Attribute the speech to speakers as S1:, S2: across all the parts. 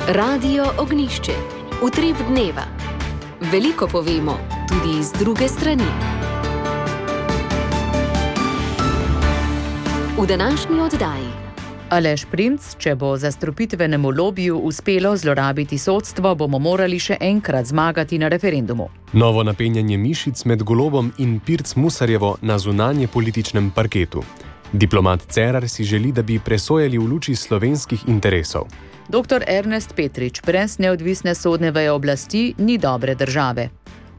S1: Radio Ognišče, utrip dneva. Veliko povemo, tudi iz druge strani. V današnji oddaji.
S2: Aleš Primc, če bo zastrupitvenemu lobiju uspelo zlorabiti sodstvo, bomo morali še enkrat zmagati na referendumu.
S3: Novo napenjanje mišic med Golobom in Pirc Musarjevo na zunanje političnem parketu. Diplomat Cerar si želi, da bi presojali v luči slovenskih interesov.
S2: Dr. Ernest Petrič, brez neodvisne sodne veje oblasti ni dobre države.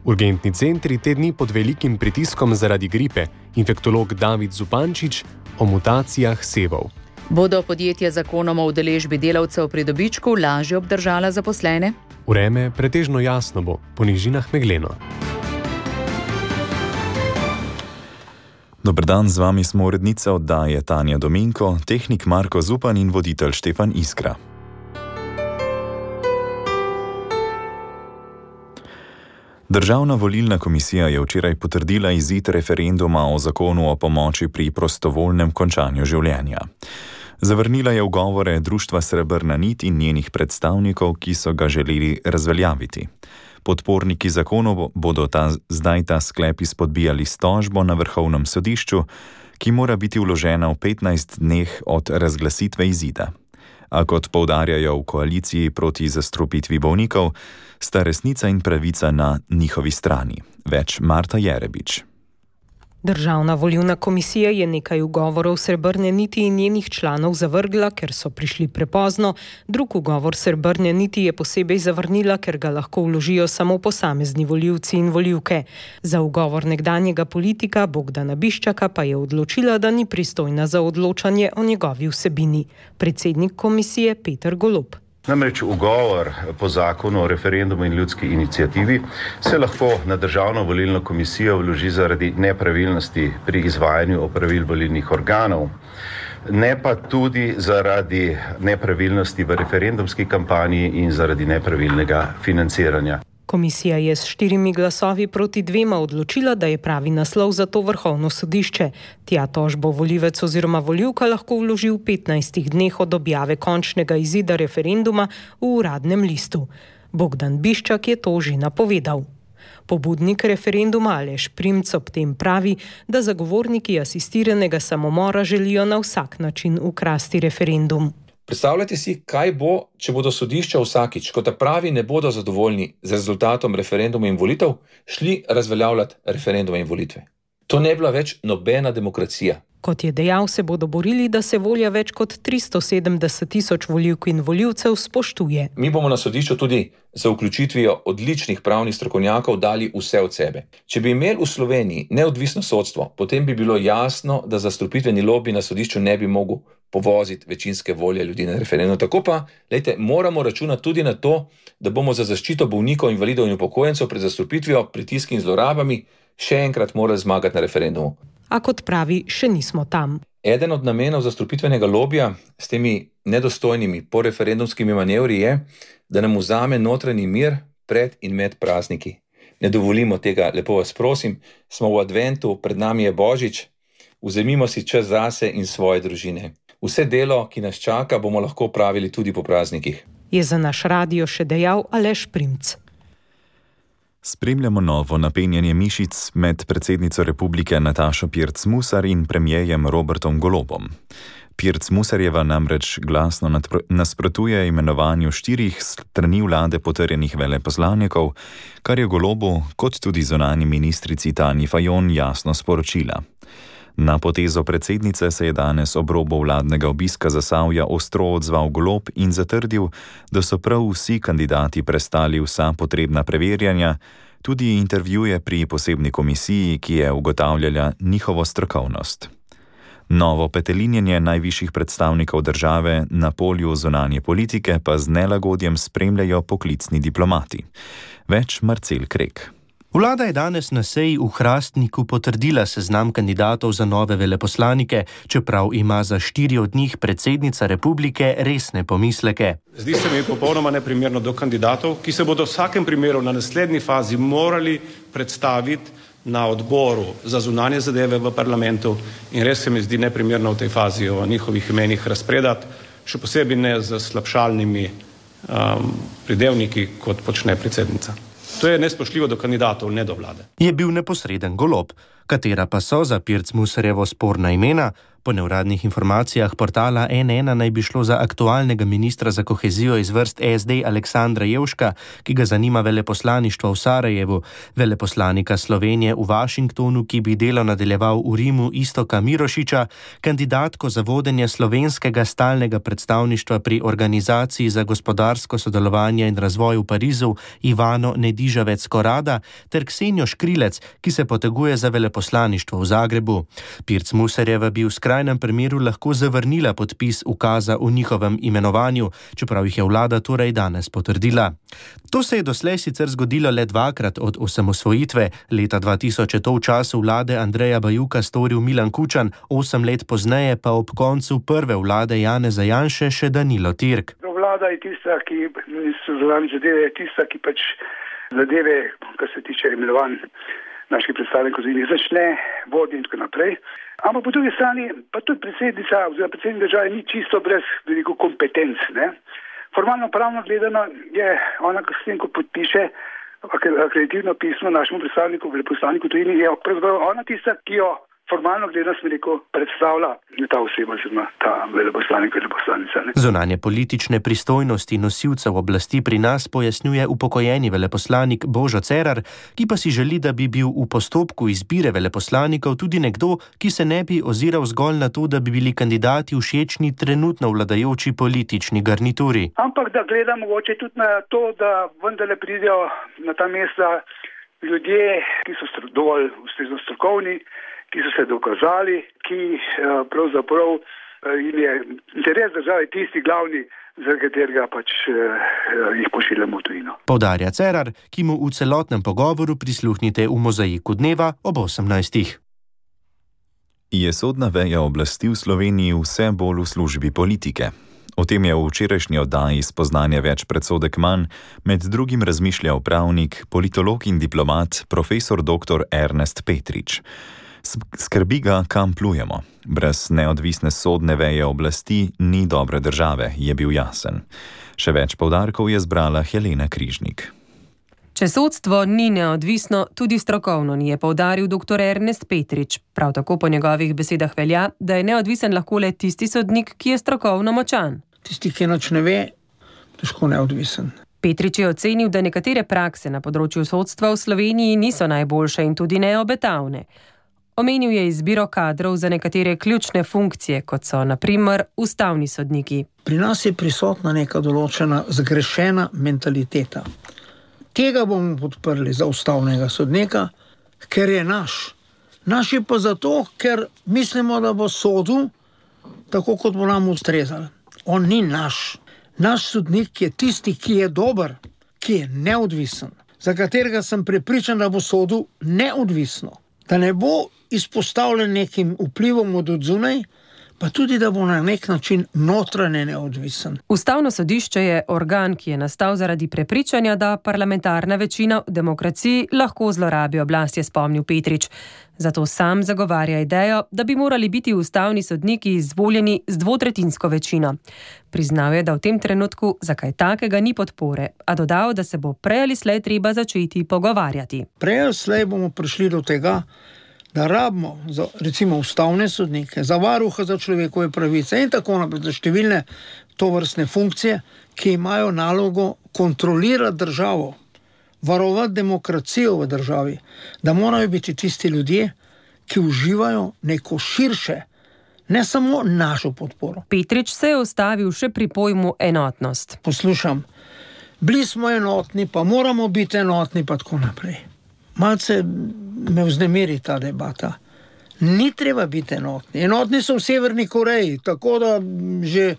S3: Urgentni centri te dni pod velikim pritiskom zaradi gripe. Infektolog David Zupančič o mutacijah sevov.
S2: Bodo podjetja zakonom o udeležbi delavcev pri dobičku lažje obdržala zaposlene?
S3: Vreme pretežno jasno bo, po nižinah megleno.
S4: Dober dan, z vami smo urednica oddaje Tanja Dominko, tehnik Marko Zupan in voditelj Štefan Iskra. Državna volilna komisija je včeraj potrdila izid referenduma o zakonu o pomoči pri prostovoljnem končanju življenja. Zavrnila je ugovore Društva Srebrna nit in njenih predstavnikov, ki so ga želeli razveljaviti. Podporniki zakonu bodo zdaj ta sklep izpodbijali s tožbo na Vrhovnem sodišču, ki mora biti vložena v 15 dneh od razglasitve izida. A kot poudarjajo v koaliciji proti zastrupitvi bolnikov, sta resnica in pravica na njihovi strani. Več Marta Jerebič.
S5: Državna volilna komisija je nekaj ugovorov Srebrne niti in njenih članov zavrgla, ker so prišli prepozno. Drug ugovor Srebrne niti je posebej zavrnila, ker ga lahko vložijo samo posamezni volivci in volivke. Za ugovor nekdanjega politika Bogdana Biščaka pa je odločila, da ni pristojna za odločanje o njegovi vsebini. Predsednik komisije Peter Golob.
S6: Namreč ugovor po zakonu o referendumu in ljudski iniciativi se lahko na Državno volilno komisijo vloži zaradi nepravilnosti pri izvajanju opravil volilnih organov, ne pa tudi zaradi nepravilnosti v referendumski kampanji in zaradi nepravilnega financiranja.
S5: Komisija je s 4 glasovi proti 2 odločila, da je pravi naslov za to Vrhovno sodišče. Tja tožbo volivec oziroma volivka lahko vloži v 15 dneh od objave končnega izida referenduma v uradnem listu. Bogdan Biščak je to že napovedal. Pobudnik referenduma Aleš Primc ob tem pravi, da zagovorniki asistiranega samomora želijo na vsak način ukrasti referendum.
S7: Predstavljajte si, kaj bo, če bodo sodišča vsakič, ko ta pravi ne bodo zadovoljni z rezultatom referenduma in volitev, šli razveljavljati referendume in volitve. To ne bila več nobena demokracija.
S5: Kot je dejal, se bodo borili, da se volja več kot 370.000 volivk in volivcev spoštuje.
S7: Mi bomo na sodišču tudi za vključitvijo odličnih pravnih strokovnjakov dali vse od sebe. Če bi imeli v Sloveniji neodvisno sodstvo, potem bi bilo jasno, da zastrupitveni lobi na sodišču ne bi mogel povoziti večinske volje ljudi na referendum. Tako pa, moramo računati tudi na to, da bomo za zaščito bolnikov, invalidov in upokojencev pred zastrupitvijo, pritiski in zlorabami še enkrat morali zmagati na referendumu.
S5: A kot pravi, še nismo tam.
S7: Eden od namenov zastrupitvenega lobija s temi nedostojnimi poreferendumskimi manevri je, da nam vzame notranji mir pred in med prazniki. Ne dovolimo tega, lepo vas prosim, smo v adventu, pred nami je Božič, vzemimo si čas zase in svoje družine. Vse delo, ki nas čaka, bomo lahko pravili tudi po praznikih.
S5: Je za naš radio še dejal Aleš Primc.
S4: Spremljamo novo napenjanje mišic med predsednico republike Natašo Pirc Musar in premierjem Robertom Golobom. Pirc Musarjeva namreč glasno nasprotuje imenovanju 4 strani vlade potrjenih veleposlanikov, kar je Golobu kot tudi zunanji ministrici Tanji Fajon jasno sporočila. Na potezo predsednice se je danes ob robu vladnega obiska Zasavja ostro odzval Golob in zatrdil, da so prav vsi kandidati prestali vsa potrebna preverjanja, tudi intervjuje pri posebni komisiji, ki je ugotavljala njihovo strokovnost. Novo petelinjenje najvišjih predstavnikov države na polju zunanje politike pa z nelagodjem spremljajo poklicni diplomati. Več Marcel Krek.
S8: Vlada je danes na seji v Hrastniku potrdila seznam kandidatov za nove veleposlanike, čeprav ima za 4 od njih predsednica republike resne pomisleke.
S9: Zdi se mi popolnoma neprimerno do kandidatov, ki se bodo v vsakem primeru na naslednji fazi morali predstaviti na odboru za zunanje zadeve v parlamentu in res se mi zdi neprimerno v tej fazi o njihovih imenih razpredati, še posebej ne z slabšalnimi pridevniki, kot počne predsednica. To je nespoštljivo do kandidatov, ne do vlade.
S8: Je bil neposreden Golob, katera pa so za Pirc Musarjevo sporna imena. Po neuradnih informacijah portala N1 naj bi šlo za aktualnega ministra za kohezijo iz vrst SD Aleksandra Jevška, ki ga zanima veleposlaništvo v Sarajevu, veleposlanika Slovenije v Washingtonu, ki bi delo nadaljeval v Rimu Istoka Mirošiča, kandidatko za vodenje slovenskega stalnega predstavništva pri Organizaciji za gospodarsko sodelovanje in razvoj v Parizu Ivano Nedižavec-Korada ter Ksenijo Škrilec, ki se poteguje za veleposlaništvo v Zagrebu. Pirc Musarjeva bi v skrajnem primeru lahko zavrnila podpis ukaza o njihovem imenovanju, čeprav jih je vlada torej danes potrdila. To se je doslej sicer zgodilo le dvakrat od osamosvojitve. Leta 2000 je to v času vlade Andreja Bajuka storil Milan Kučan, 8 let pozneje pa ob koncu prve vlade Janeza Janše še Danilo Tirk.
S10: Vlada je tista, ki so zunanje zadeve, je tista, ki pač zadeve, kar se tiče imenovanj naših predstavnikov, začne voditi in tako naprej. Ampak po drugi strani pa tudi predsednica oziroma predsednik države ni čisto brez veliko kompetenc. Formalno pravno gledano je ona, s tem, ko podpiše akreditivno pismo našemu predstavniku, veleposlaniku tujini, je pravzaprav ona tista, ki jo formalno gledano smo rekel predstavlja ta oseba, oziroma ta veleposlanik, veleposlanica.
S8: Zunanje politične pristojnosti nosilcev oblasti pri nas pojasnjuje upokojeni veleposlanik Božo Cerar, ki pa si želi, da bi bil v postopku izbire veleposlanikov tudi nekdo, ki se ne bi oziral zgolj na to, da bi bili kandidati všečni trenutno vladajoči politični garnituri.
S10: Ampak da gleda mogoče tudi na to, da vendarle pridejo na ta mesta ljudje, ki so dovolj ustrezno strokovni, ki so se dokazali, ki pravzaprav jim je interes države tisti glavni, za katerega pač jih pošiljamo v tujino.
S8: Poudarja Cerar, ki mu v celotnem pogovoru prisluhnite v Mozaiku dneva ob 18.
S4: Je sodna veja oblasti v Sloveniji vse bolj v službi politike? O tem je v včerajšnji oddaji Spoznanje več predsodek manj med drugim razmišljal pravnik, politolog in diplomat profesor dr. Ernest Petrič. Skrbi ga, kam plujemo. Brez neodvisne sodne veje oblasti ni dobre države, je bil jasen. Še več poudarkov je zbrala Helena Križnik.
S11: Če sodstvo ni neodvisno, tudi strokovno ni, je poudaril dr. Ernest Petrič. Prav tako po njegovih besedah velja, da je neodvisen lahko le tisti sodnik, ki je strokovno močan.
S12: Tisti, ki nič ne ve, težko neodvisen.
S11: Petrič je ocenil, da nekatere prakse na področju sodstva v Sloveniji niso najboljše in tudi neobetavne. Omenil je izbiro kadrov za nekatere ključne funkcije, kot so na primer ustavni sodniki.
S12: Pri nas je prisotna neka določena zgrešena mentaliteta. Tega bomo podprli za ustavnega sodnika, ker je naš. Naš je pa zato, ker mislimo, da bo sodil tako, kot bo nam ustrezal. On ni naš. Naš sodnik je tisti, ki je dober, ki je neodvisen, za katerega sem prepričan, da bo sodil neodvisno. Da ne bo izpostavljen nekim vplivom od odzunaj, pa tudi, da bo na nek način notranje neodvisen.
S11: Ustavno sodišče je organ, ki je nastal zaradi prepričanja, da parlamentarna večina v demokraciji lahko zlorabi oblast, je spomnil Petrič. Zato sam zagovarja idejo, da bi morali biti ustavni sodniki izvoljeni z dvotretjinsko večino. Priznal je, da v tem trenutku za kaj takega ni podpore, a dodal, da se bo prej ali slej treba začeti pogovarjati.
S12: Prej ali slej bomo prišli do tega, da rabimo za recimo ustavne sodnike, za varuha za človekove pravice in tako naprej, za številne tovrstne funkcije, ki imajo nalogo kontrolirati državo, varovati demokracijo v državi, da morajo biti tisti ljudje, ki uživajo neko širše, ne samo našo podporo.
S11: Petrič se je ustavil še pri pojmu enotnost.
S12: Poslušam, bili smo enotni, pa moramo biti enotni, pa tako naprej. Malce me vznemiri ta debata. Ni treba biti enotni. Enotni so v Severni Koreji, tako da že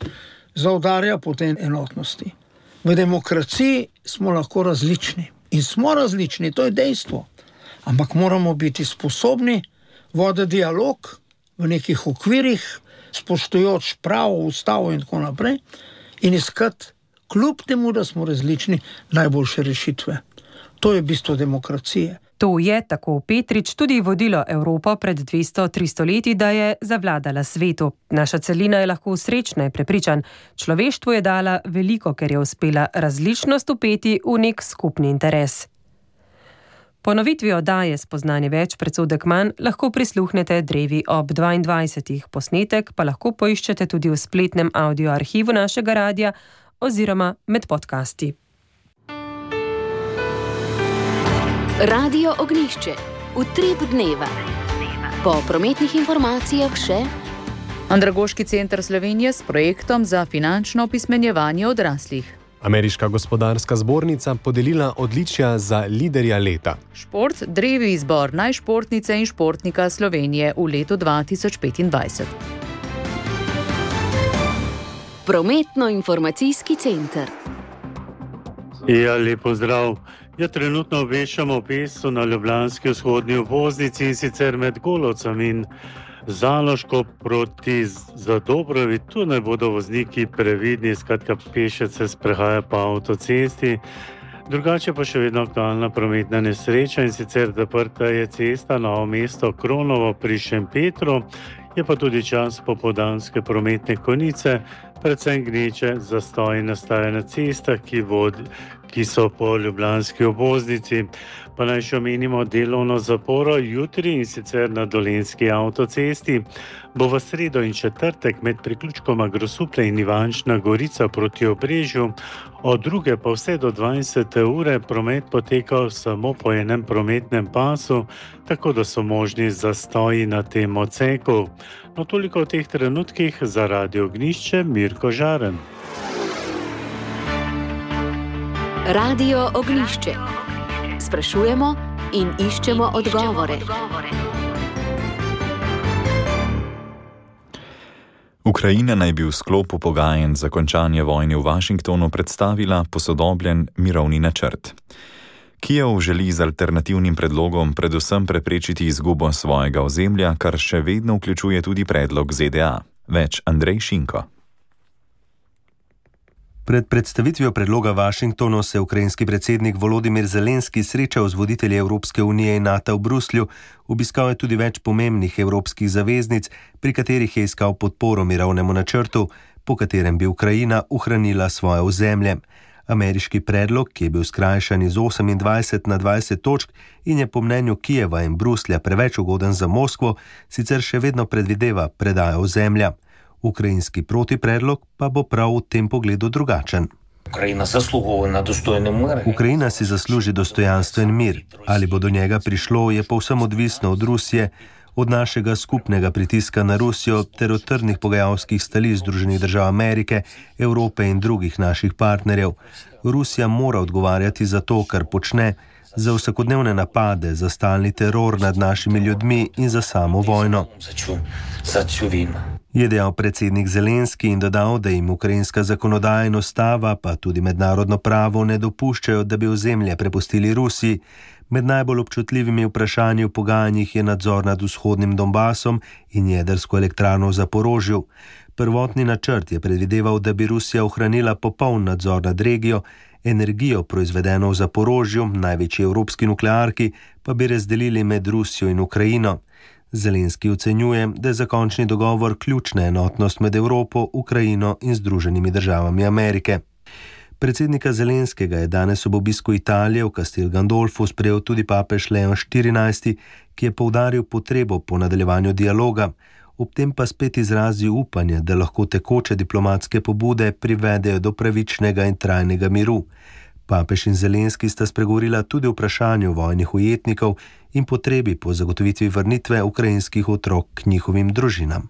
S12: zaudarja po tej enotnosti. V demokraciji smo lahko različni. In smo različni, to je dejstvo. Ampak moramo biti sposobni voditi dialog v nekih okvirih, spoštujoč pravo, ustavo in tako naprej, in iskati, kljub temu, da smo različni, najboljše rešitve. To je bistvo demokracije.
S11: To je, tako Petrič, tudi vodilo Evropo pred 200-300 leti, da je zavladala svetu. Naša celina je lahko srečna, je prepričan. Človeštvu je dala veliko, ker je uspela različnost upeti v nek skupni interes. Ponovitvi oddaje Spoznanje več predsodek manj lahko prisluhnete drevi ob 22. Posnetek pa lahko poiščete tudi v spletnem audio arhivu našega radia oziroma med podcasti.
S1: Radio Ognjišče. Utrip dneva. Po prometnih informacijah še
S2: Andragoški center Slovenije s projektom za finančno opismenjevanje odraslih.
S3: Ameriška gospodarska zbornica podelila odličja za liderja leta.
S2: Šport, drevi izbor najšportnice in športnika Slovenije v letu 2025.
S1: Prometno-informacijski center.
S13: Ja, lepo zdrav. Trenutno obveščamo o pesu na ljubljanski vzhodni obvoznici in sicer med Golovcem in Zaloško proti Zadobrovi. Tu naj bodo vozniki previdni, skratka pešec se sprehaja po avtocesti. Drugače pa še vedno aktualna prometna nesreča in sicer zaprta je cesta Novo mesto Kronovo pri Šempetru. Je pa tudi čas popoldanske prometne konice, predvsem gneče zastoji nastaja na cestah, ki so po ljubljanski obvoznici. Pa naj še omenimo delovno zaporo jutri in sicer na Dolenjski avtocesti. Bo v sredo in četrtek med priključkoma Grosuplje in Ivančna Gorica proti Obrežju, od 2. pa vse do 20. ure promet potekal samo po enem prometnem pasu, tako da so možni zastoji na tem odseku. No, toliko v teh trenutkih za Radio Ognjišče, Mirko Žaren.
S1: Radio Ognjišče. Sprašujemo in iščemo odgovore.
S4: Ukrajina naj bi v sklopu pogajanj za končanje vojne v Washingtonu predstavila posodobljen mirovni načrt. Kijev želi z alternativnim predlogom predvsem preprečiti izgubo svojega ozemlja, kar še vedno vključuje tudi predlog ZDA. Več Andrej Šinko.
S14: Pred predstavitvijo predloga Washingtonu se ukrajinski predsednik Volodimir Zelenski srečal z voditelji Evropske unije in NATO v Bruslju, obiskal je tudi več pomembnih evropskih zaveznic, pri katerih je iskal podporo mirovnemu načrtu, po katerem bi Ukrajina ohranila svoje ozemlje. Ameriški predlog, ki je bil skrajšan iz 28 na 20 točk in je po mnenju Kijeva in Bruslja preveč ugoden za Moskvo, sicer še vedno predvideva predajo ozemlja. Ukrajinski protipredlog pa bo prav v tem pogledu drugačen. Ukrajina si zasluži dostojanstven mir. Ali bo do njega prišlo, je povsem odvisno od Rusije, od našega skupnega pritiska na Rusijo ter od trdnih pogajalskih stališč Združenih držav Amerike, Evrope in drugih naših partnerjev. Rusija mora odgovarjati za to, kar počne, za vsakodnevne napade, za stalni teror nad našimi ljudmi in za samo vojno. Je dejal predsednik Zelenski in dodal, da jim ukrajinska zakonodaja in ustava, pa tudi mednarodno pravo ne dopuščajo, da bi ozemlje prepustili Rusiji. Med najbolj občutljivimi vprašanji v pogajanjih je nadzor nad vzhodnim Donbasom in jedrsko elektrarno v Zaporožju. Prvotni načrt je predvideval, da bi Rusija ohranila popoln nadzor nad regijo, energijo proizvedeno v Zaporožju, največji evropski nuklearki, pa bi razdelili med Rusijo in Ukrajino. Zelenski ocenjuje, da je za končni dogovor ključna enotnost med Evropo, Ukrajino in Združenimi državami Amerike. Predsednika Zelenskega je danes ob obisku Italije v Castel Gandolfu sprejel tudi papež Leon XIV, ki je poudaril potrebo po nadaljevanju dialoga, ob tem pa spet izrazil upanje, da lahko tekoče diplomatske pobude privedejo do pravičnega in trajnega miru. Papež in Zelenski sta spregovorila tudi o vprašanju vojnih ujetnikov in potrebi po zagotovitvi vrnitve ukrajinskih otrok k njihovim družinam.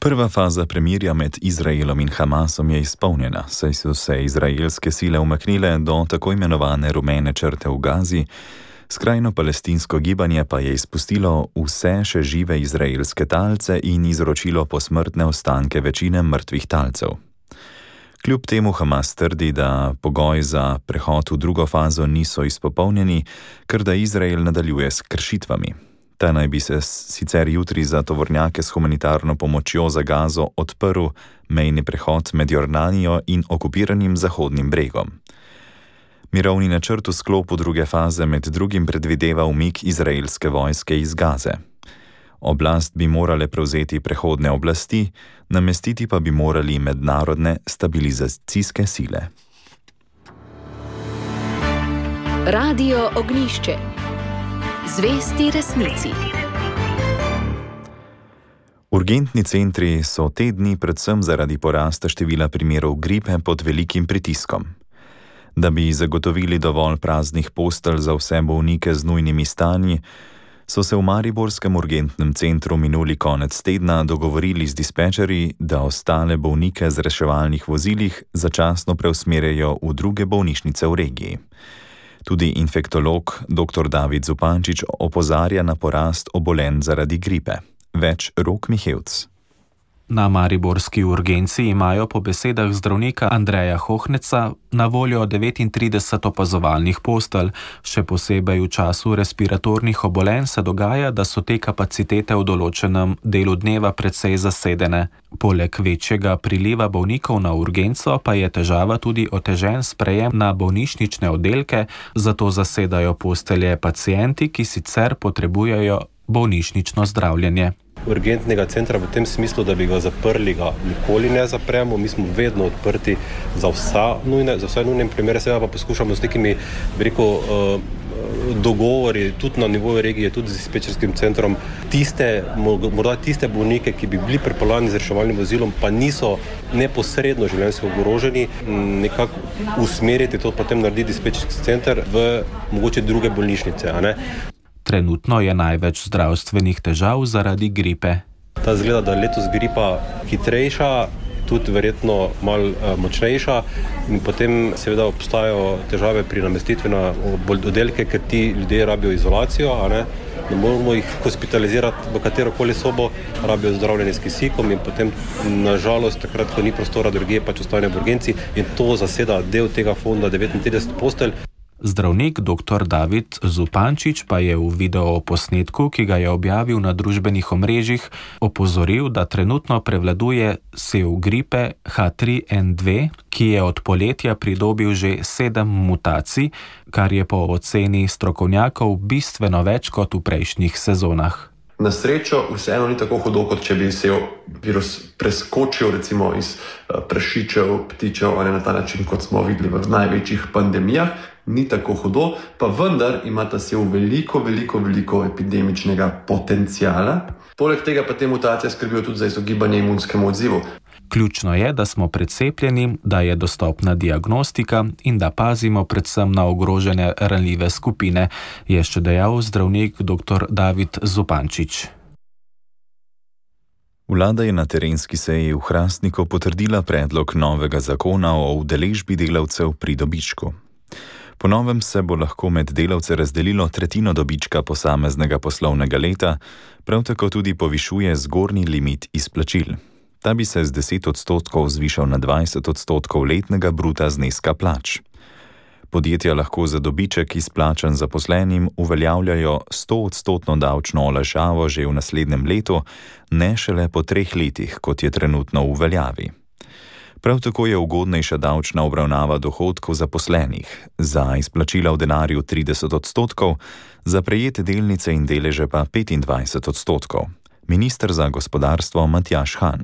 S4: Prva faza premirja med Izraelom in Hamasom je izpolnjena, saj so se izraelske sile umaknile do tako imenovane rumene črte v Gazi, skrajno palestinsko gibanje pa je izpustilo vse še žive izraelske talce in izročilo posmrtne ostanke večine mrtvih talcev. Kljub temu Hamas trdi, da pogoji za prehod v drugo fazo niso izpopolnjeni, ker da Izrael nadaljuje s kršitvami. Ta naj bi se sicer jutri za tovornjake s humanitarno pomočjo za Gazo odprl mejni prehod med Jordanijo in okupiranim Zahodnim bregom. Mirovni načrt v sklopu druge faze med drugim predvideva umik izraelske vojske iz Gaze. Oblast bi morale prevzeti prehodne oblasti, namestiti pa bi morali mednarodne stabilizacijske sile.
S1: Radio Ognjišče. Zvesti resnici.
S4: Urgentni centri so te dni predvsem zaradi porasta števila primerov gripe pod velikim pritiskom. Da bi zagotovili dovolj praznih postelj za vse bolnike z nujnimi stanji, so se v mariborskem urgentnem centru minuli konec tedna dogovorili z dispečerji, da ostale bolnike z reševalnih vozilih začasno preusmerjajo v druge bolnišnice v regiji. Tudi infektolog dr. David Zupančič opozarja na porast obolenj zaradi gripe. Več Rok Mihevc.
S15: Na mariborski urgenci imajo po besedah zdravnika Andreja Hohneca na voljo 39 opazovalnih postelj. Še posebej v času respiratornih obolenj se dogaja, da so te kapacitete v določenem delu dneva precej zasedene. Poleg večjega priliva bolnikov na urgenco pa je težava tudi otežen sprejem na bolnišnične oddelke, zato zasedajo postelje pacienti, ki sicer potrebujejo bolnišnično zdravljenje.
S16: Urgentnega centra v tem smislu, da bi ga zaprli, ga nikoli ne zapremo. Mi smo vedno odprti za vse nujne primere, seveda pa poskušamo s nekimi, dogovori, tudi na nivoju regije, tudi z dispečerskim centrom, morda tiste bolnike, ki bi bili pripeljani z reševalnim vozilom, pa niso neposredno življenjsko ogroženi, nekako usmeriti to, potem narediti dispečerski center v mogoče druge bolnišnice, a ne?
S15: Trenutno je največ zdravstvenih težav zaradi gripe.
S16: Ta zgleda, da je letos gripa hitrejša, tudi verjetno malo močnejša in potem seveda obstajajo težave pri namestitvi na oddelke, ker ti ljudje rabijo izolacijo, a ne? Ne moramo jih hospitalizirati v katerokoli sobo, rabijo zdravljenje s kisikom in potem nažalost takrat, ko ni prostora drugje, pač ostane v urgenci in to zaseda del tega fonda 39 postelj.
S15: Zdravnik dr. David Zupančič pa je v videoposnetku, ki ga je objavil na družbenih omrežjih, opozoril, da trenutno prevladuje sev gripe H3N2, ki je od poletja pridobil že 7 mutacij, kar je po oceni strokovnjakov bistveno več kot v prejšnjih sezonah.
S17: Na srečo vseeno ni tako hudo, kot če bi se virus preskočil recimo iz prašičev, ptičev ali na ta način, kot smo videli v največjih pandemijah. Ni tako hudo, pa vendar ima ta sev veliko epidemičnega potencijala. Poleg tega pa te mutacije skrbijo tudi za izogibanje imunskemu odzivu.
S15: Ključno je, da smo precepljeni, da je dostopna diagnostika in da pazimo predvsem na ogrožene ranljive skupine, je še dejal zdravnik dr. David Zupančič.
S4: Vlada je na terenski seji v Hrastniku potrdila predlog novega zakona o udeležbi delavcev pri dobičku. Po novem se bo lahko med delavce razdelilo tretjino dobička posameznega poslovnega leta, prav tako tudi povišuje zgornji limit izplačil. Ta bi se z 10% zvišal na 20% letnega bruta zneska plač. Podjetja lahko za dobiček izplačan zaposlenim uveljavljajo 100% davčno olajšavo že v naslednjem letu, ne šele po 3 letih, kot je trenutno v veljavi. Prav tako je ugodnejša davčna obravnava dohodkov zaposlenih, za izplačila v denarju 30%, za prejete delnice in deleže pa 25%. Minister za gospodarstvo Matjaž Han.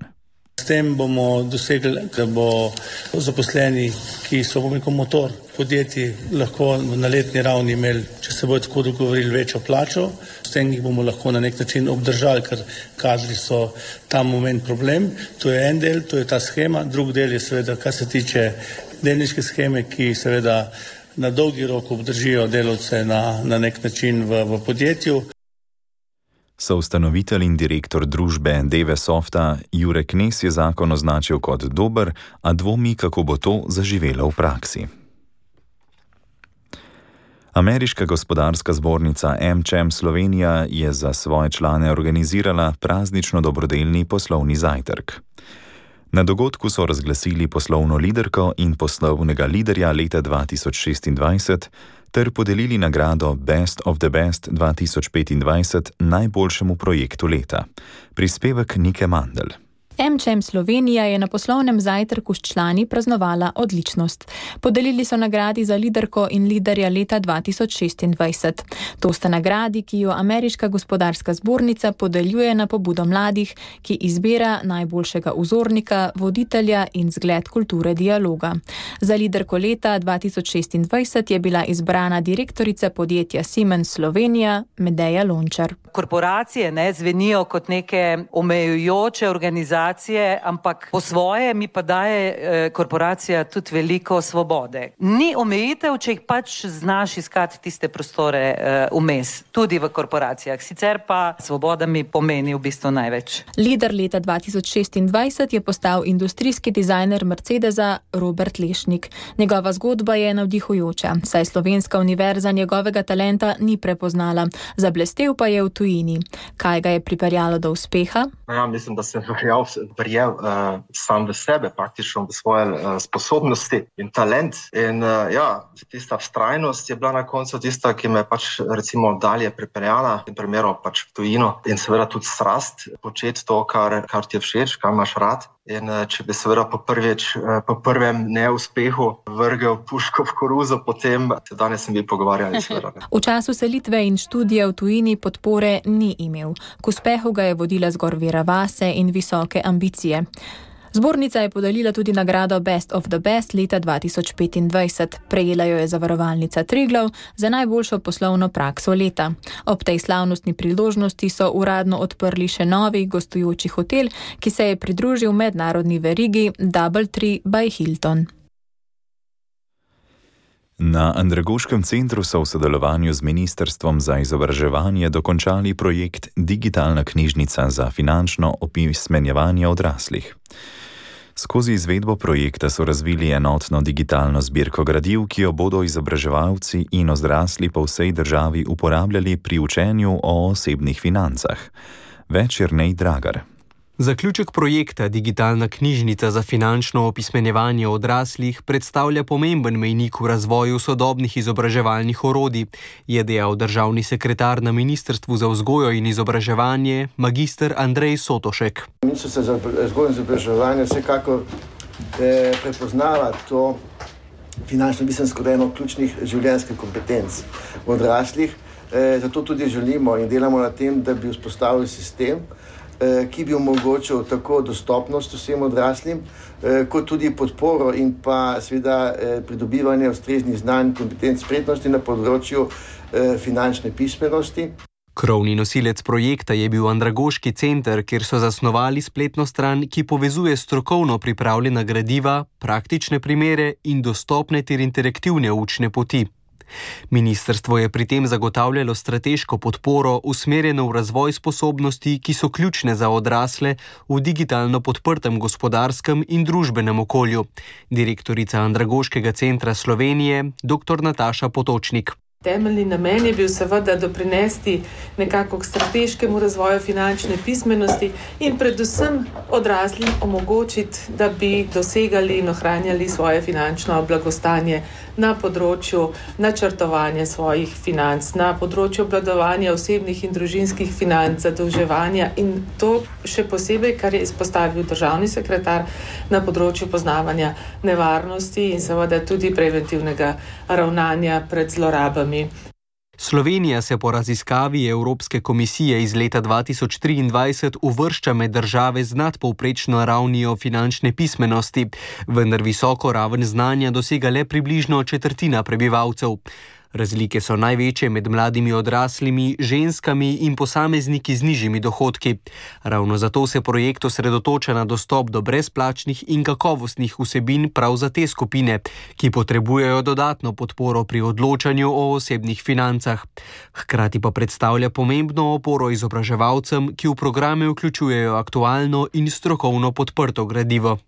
S18: S tem bomo dosegli, da bo zaposleni, ki so motor podjetij, lahko na letni ravni imeli, če se bodo tako dogovorili, večjo plačo. S tem jih bomo lahko na nek način obdržali, ker kadri so ta moment problem. To je en del, to je ta shema. Drug del je seveda, kar se tiče delniške sheme, ki seveda na dolgi rok obdržijo delavce na nek način v podjetju.
S4: Soustanovitelj in direktor družbe DV Softa Jure Knez je zakon označil kot dober, a dvomi, kako bo to zaživelo v praksi. Ameriška gospodarska zbornica AmCham Slovenija je za svoje člane organizirala praznično dobrodelni poslovni zajtrk. Na dogodku so razglasili poslovno liderko in poslovnega liderja leta 2026 ter podelili nagrado Best of the Best 2025 najboljšemu projektu leta. Prispevek Nike Mandl.
S19: AmCham Slovenija je na poslovnem zajtrku s člani praznovala odličnost. Podelili so nagradi za liderko in liderja leta 2026. To sta nagradi, ki jo Ameriška gospodarska zbornica podeljuje na pobudo mladih, ki izbira najboljšega vzornika, voditelja in zgled kulture dialoga. Za liderko leta 2026 je bila izbrana direktorica podjetja Siemens Slovenija Medeja Lončar.
S20: Korporacije zvenijo kot neke omejujoče organizacije, ampak po svoje mi pa daje korporacija tudi veliko svobode. Ni omejitev, če jih pač znaš iskati tiste prostore vmes, tudi v korporacijah. Sicer pa svoboda mi pomeni v bistvu največ.
S19: Lider leta 2026 je postal industrijski dizajner Mercedesa Robert Lešnik. Njegova zgodba je navdihujoča, saj Slovenska univerza njegovega talenta ni prepoznala. Zablestel pa je v tujini. Kaj ga je pripeljalo do uspeha?
S21: Ja, mislim, da sem verjel sam v sebe, praktično v svoje sposobnosti in talent. In tista vztrajnost je bila na koncu tista, ki me pač recimo dalje pripeljala, v primeru pač v tujino. In seveda tudi strast početi to, kar ti je všeč, kar imaš rad. In če bi seveda po prvem neuspehu vrgel puško v koruzo, potem danes sem bi pogovarjali seveda.
S19: V času selitve in študija v tujini podpore ni imel. K uspehu ga je vodila zgor vera vase in visoke ambicije. Zbornica je podelila tudi nagrado Best of the Best leta 2025. Prejela jo je zavarovalnica Triglav za najboljšo poslovno prakso leta. Ob tej slavnostni priložnosti so uradno odprli še novi gostujoči hotel, ki se je pridružil mednarodni verigi DoubleTree by Hilton.
S4: Na Andragoškem centru so v sodelovanju z Ministrstvom za izobraževanje dokončali projekt Digitalna knjižnica za finančno opismenjevanje odraslih. Skozi izvedbo projekta so razvili enotno digitalno zbirko gradiv, ki jo bodo izobraževalci in odrasli po vsej državi uporabljali pri učenju o osebnih financah. Več Jernej Dragar.
S22: Zaključek projekta Digitalna knjižnica za finančno opismenjevanje odraslih predstavlja pomemben mejnik v razvoju sodobnih izobraževalnih orodij, je dejal državni sekretar na Ministrstvu za vzgojo in izobraževanje, magister Andrej Sotošek.
S23: Ministrstvo za vzgojo in izobraževanje vsekakor prepoznava to finančno pismenost kot eno ključnih življenjskih kompetenc v odraslih. Zato tudi želimo in delamo na tem, da bi vzpostavili sistem, ki bi omogočil tako dostopnost vsem odraslim, kot tudi podporo in pa seveda pridobivanje ustreznih znanj, kompetenc, spretnosti na področju finančne pismenosti.
S22: Krovni nosilec projekta je bil Andragoški center, kjer so zasnovali spletno stran, ki povezuje strokovno pripravljena gradiva, praktične primere in dostopne ter interaktivne učne poti. Ministrstvo je pri tem zagotavljalo strateško podporo usmerjeno v razvoj sposobnosti, ki so ključne za odrasle v digitalno podprtem gospodarskem in družbenem okolju. Direktorica Andragoškega centra Slovenije, dr. Nataša Potočnik.
S24: Temeljni namen je bil seveda doprinesti nekako k strateškemu razvoju finančne pismenosti in predvsem odraslim omogočiti, da bi dosegali in ohranjali svoje finančno blagostanje na področju načrtovanja svojih financ, na področju obvladovanja osebnih in družinskih financ, zadolževanja in to še posebej, kar je izpostavil državni sekretar, na področju poznavanja nevarnosti in seveda tudi preventivnega ravnanja pred zlorabami.
S22: Slovenija se po raziskavi Evropske komisije iz leta 2023 uvršča med države z nadpovprečno ravnijo finančne pismenosti, vendar visoko raven znanja dosega le približno četrtina prebivalcev. Razlike so največje med mladimi odraslimi, ženskami in posamezniki z nižjimi dohodki. Ravno zato se projekt osredotoča na dostop do brezplačnih in kakovostnih vsebin prav za te skupine, ki potrebujejo dodatno podporo pri odločanju o osebnih financah. Hkrati pa predstavlja pomembno oporo izobraževalcem, ki v programe vključujejo aktualno in strokovno podprto gradivo.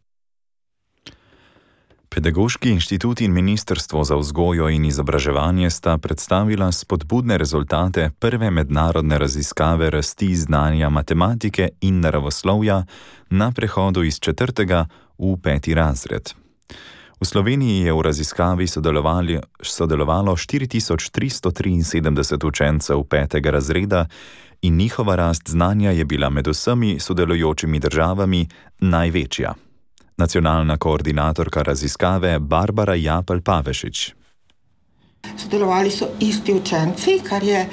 S4: Pedagoški inštitut in Ministrstvo za vzgojo in izobraževanje sta predstavila spodbudne rezultate prve mednarodne raziskave rasti znanja matematike in naravoslovja na prehodu iz 4. v 5. razred. V Sloveniji je v raziskavi sodelovalo 4373 učencev 5. razreda in njihova rast znanja je bila med vsemi sodelujočimi državami največja. Nacionalna koordinatorka raziskave Barbara Japelj-Pavešič.
S5: Sodelovali so isti učenci, kar je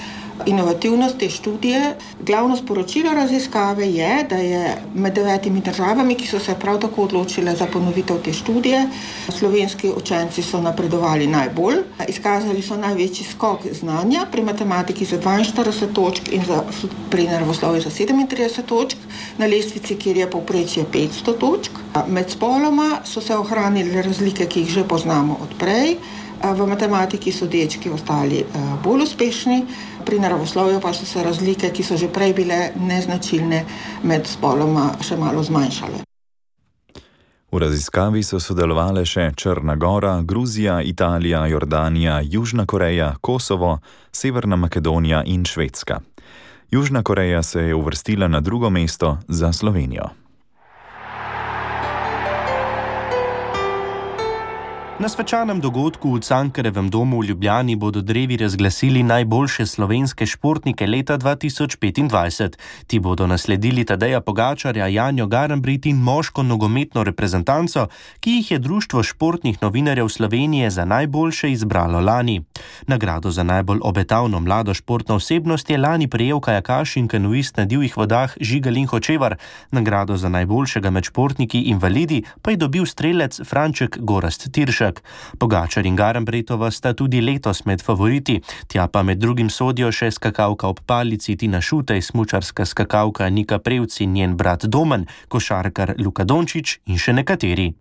S5: inovativnost te študije. Glavno sporočilo raziskave je, da je med 9 državami, ki so se prav tako odločile za ponovitev te študije, slovenski učenci so napredovali najbolj. Izkazali so največji skok znanja pri matematiki za 42 točk in pri naravoslovju za 37 točk, na lestvici, kjer je povprečje 500 točk. Med spoloma so se ohranile razlike, ki jih že poznamo od prej. V matematiki so dečki ostali bolj uspešni, pri naravoslovju pa so se razlike, ki so že prej bile neznačilne, med spoloma še malo zmanjšale.
S4: V raziskavi so sodelovali še Črna Gora, Gruzija, Italija, Jordanija, Južna Koreja, Kosovo, Severna Makedonija in Švedska. Južna Koreja se je uvrstila na drugo mesto za Slovenijo.
S8: Na svečanem dogodku v Cankarjevem domu v Ljubljani bodo drevi razglasili najboljše slovenske športnike leta 2025. Ti bodo nasledili Tadeja Pogačarja, Janjo Garnbret in moško nogometno reprezentanco, ki jih je Društvo športnih novinarjev Slovenije za najboljše izbralo lani. Nagrado za najbolj obetavno mlado športno osebnost je lani prejel kajakaš in kanuist na divjih vodah Žigalin Hočevar. Nagrado za najboljšega med športniki invalidi pa je dobil strelec Franček Gorazd Tiršek. Pogačar in Garnbretova sta tudi letos med favoriti, tja pa med drugim sodijo še skakalka ob palici Tina Šutej, smučarska skakalka Nika Prevc in njen brat Domen, košarkar Luka Dončić in še nekateri.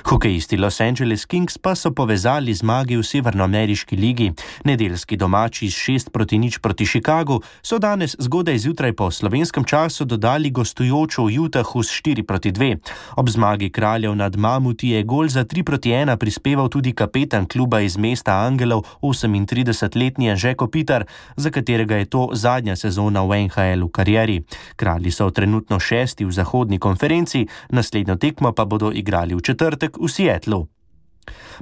S8: Hokejisti Los Angeles Kings pa so povezali zmagi v Severnoameriški ligi. Nedeljski domači s 6-0 proti Chicagu so danes zgodaj zjutraj po slovenskem času dodali gostujočo v Utahu s 4-2. Ob zmagi Kraljev nad Mamuti je gol za 3-1 prispeval tudi kapetan kluba iz mesta Angelov, 38-letni Anže Kopitar, za katerega je to zadnja sezona v NHL v karieri. Kralji so trenutno 6. v zahodni konferenci, naslednjo tekmo pa bodo igrali v četrtek v Seattlu.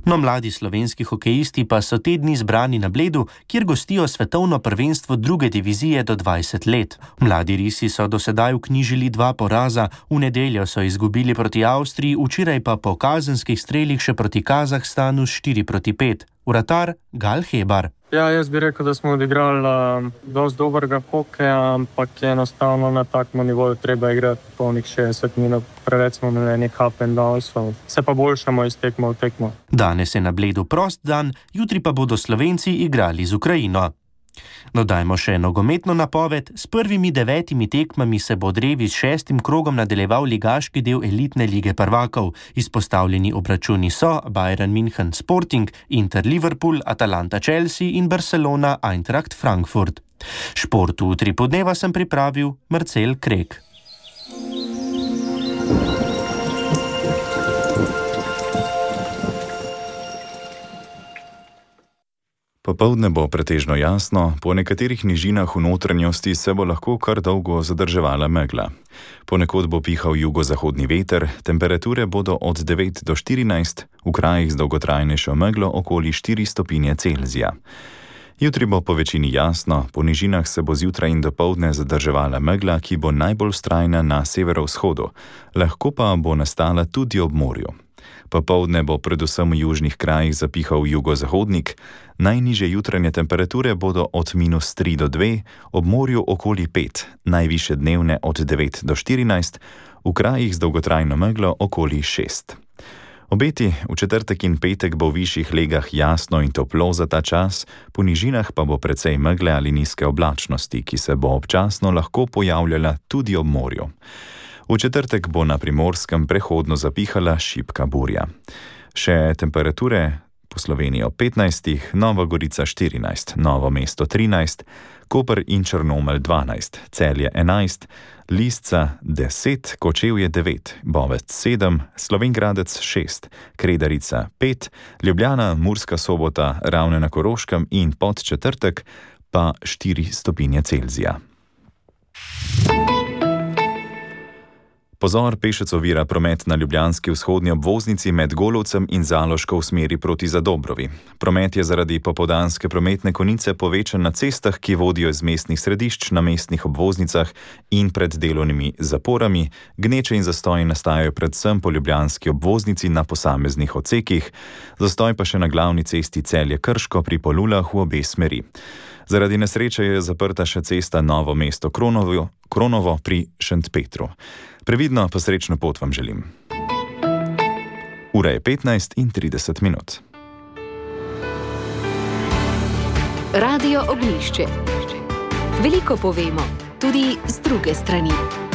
S8: No, mladi slovenski hokejisti pa so te dni zbrani na Bledu, kjer gostijo svetovno prvenstvo druge divizije do 20 let. Mladi risi so do sedaj vknjižili 2 poraza, v nedeljo so izgubili proti Avstriji, včeraj pa po kazenskih strelih še proti Kazahstanu 4-5. Vratar Gal Hebar.
S6: Ja, jaz bi rekel, da smo odigrali dosti dobrega hokeja, ampak enostavno na takem nivoju treba igrati polnih 60 minut. Preveč smo imeli up and downs, se pa boljšamo iz tekmo v tekmo.
S8: Danes je na Bledu prost dan, jutri pa bodo Slovenci igrali z Ukrajino. Dodajmo še nogometno napoved. S prvimi 9 tekmami se bo drevi s 6. krogom nadaljeval ligaški del elitne lige prvakov. Izpostavljeni obračuni so Bayern München Sporting, Inter Liverpool, Atalanta Chelsea in Barcelona Eintracht Frankfurt. Šport v 3 podneva sem pripravil Marcel Krek.
S4: Popoldne bo pretežno jasno, po nekaterih nižinah v notranjosti se bo lahko kar dolgo zadrževala megla. Ponekod bo pihal jugozahodni veter, temperature bodo od 9 do 14, v krajih z dolgotrajnejšo meglo okoli 4 stopinje Celzija. Jutri bo po večini jasno, po nižinah se bo zjutraj in dopoldne zadrževala megla, ki bo najbolj vztrajna na severovzhodu, lahko pa bo nastala tudi ob morju. Popoldne bo predvsem v južnih krajih zapihal jugozahodnik, najnižje jutranje temperature bodo od -3 do 2, ob morju okoli 5, najvišje dnevne od 9 do 14, v krajih z dolgotrajno meglo okoli 6. Obeti v četrtek in petek bo v višjih legah jasno in toplo za ta čas, po nižinah pa bo precej megle ali nizke oblačnosti, ki se bo občasno lahko pojavljala tudi ob morju. V četrtek bo na Primorskem prehodno zapihala šibka burja. Še temperature po Sloveniji 15, Nova Gorica 14, Novo mesto 13, Koper in Črnomelj 12, Celje 11, Lisca 10, Kočevje 9, Bovec 7, Slovenj Gradec 6, Kredarica 5, Ljubljana, Murska Sobota, Ravne na Koroškem in Podčetrtek pa 4 stopinje Celzija. Pozor, pešec ovira promet na ljubljanski vzhodni obvoznici med Golovcem in Zaloško v smeri proti Zadobrovi. Promet je zaradi popoldanske prometne konice povečan na cestah, ki vodijo iz mestnih središč na mestnih obvoznicah in pred delovnimi zaporami. Gneče in zastoji nastajajo predvsem po ljubljanski obvoznici na posameznih odsekih, zastoj pa še na glavni cesti Celje-Krško pri Polulah v obe smeri. Zaradi nesreče je zaprta še cesta Novo mesto Kronovo pri Šentpetru. Previdno pa srečno pot vam želim. Ura je 15:30.
S1: Radio Ognjišče. Veliko povemo, tudi z druge strani.